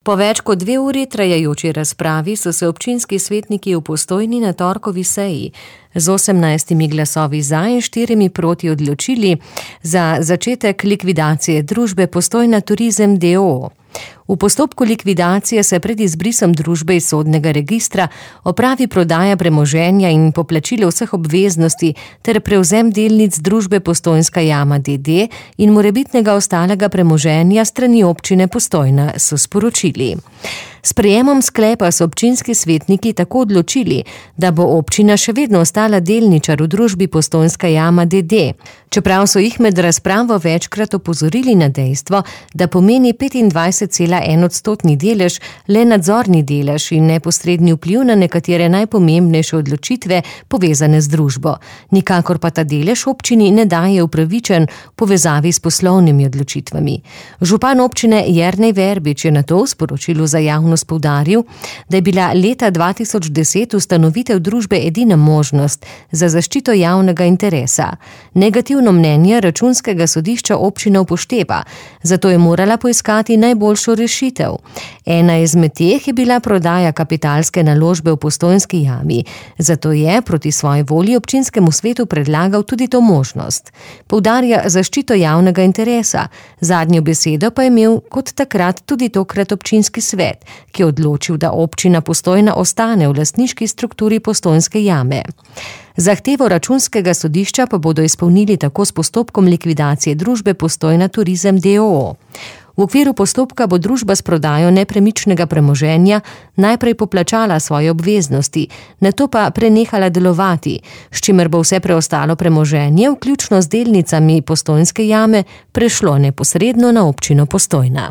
Po več kot 2 uri trajajoči razpravi so se občinski svetniki v Postojni na torkovi seji z 18 glasovi za in 4 proti odločili za začetek likvidacije družbe Postojna Turizem d.o.o. V postopku likvidacije se pred izbrisom družbe iz sodnega registra opravi prodaja premoženja in poplačilo vseh obveznosti ter prevzem delnic družbe Postojnska jama d.d. in morebitnega ostalega premoženja strani občine Postojna, so sporočili. S prejemom sklepa so občinski svetniki tako odločili, da bo občina še vedno ostala delničar v družbi Postojnska jama d.d., čeprav so jih med razpravo večkrat opozorili na dejstvo, da pomeni 25,1% delež le nadzorni delež in neposredni vpliv na nekatere najpomembnejše odločitve povezane z družbo. Nikakor pa ta delež občini ne daje upravičen v povezavi s poslovnimi odločitvami. Župan občine Jernej Verbič je nato v sporočilu za javnost poudaril, da je bila leta 2010 ustanovitev družbe edina možnost za zaščito javnega interesa. Negativno mnenje Računskega sodišča občina upošteva, zato je morala poiskati najboljšo rešitev. Ena izmed teh je bila prodaja kapitalske naložbe v Postojnski jami, zato je proti svoji volji občinskemu svetu predlagal tudi to možnost. Poudarja zaščito javnega interesa, zadnjo besedo pa je imel kot takrat tudi tokrat občinski svet, ki je odločil, da občina Postojna ostane v lastniški strukturi Postojnske jame. Zahtevo Računskega sodišča pa bodo izpolnili tako s postopkom likvidacije družbe Postojna Turizem d.o.o. V okviru postopka bo družba s prodajo nepremičnega premoženja najprej poplačala svoje obveznosti, nato pa prenehala delovati, s čimer bo vse preostalo premoženje, vključno z delnicami Postojnske jame, prešlo neposredno na občino Postojna.